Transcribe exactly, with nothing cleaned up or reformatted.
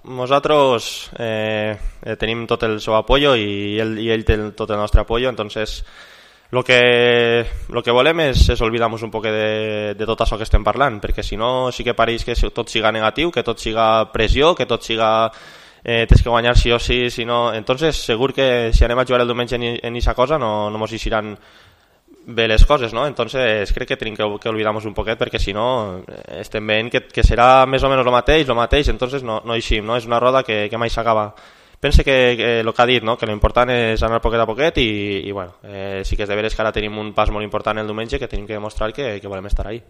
Nosaltres eh, eh, tenim tot el seu apoyo i ell, i ell té tot el nostre apoyo, entonces lo que, lo que volem és, és oblidar-nos un poc de, de tot això que estem parlant, perquè si no sí que pareix que tot siga negatiu, que tot siga pressió, que tot siga eh, tens que guanyar sí o sí, si no... Entonces segur que si anem a jugar el diumenge en aquesta cosa no, no mos eixiran bé les coses, no? Entonces crec que tenim que, que oblidar-nos un poquet, perquè si no estem veient que, que serà més o menys el mateix, el mateix, entonces no, no eixim, no? És una roda que, que mai s'acaba. Pense que, que el que ha dit, no? Que l'important és anar poquet a poquet i, i bueno, eh, sí que és de veres que ara tenim un pas molt important el diumenge que tenim que demostrar que, que volem estar ahí.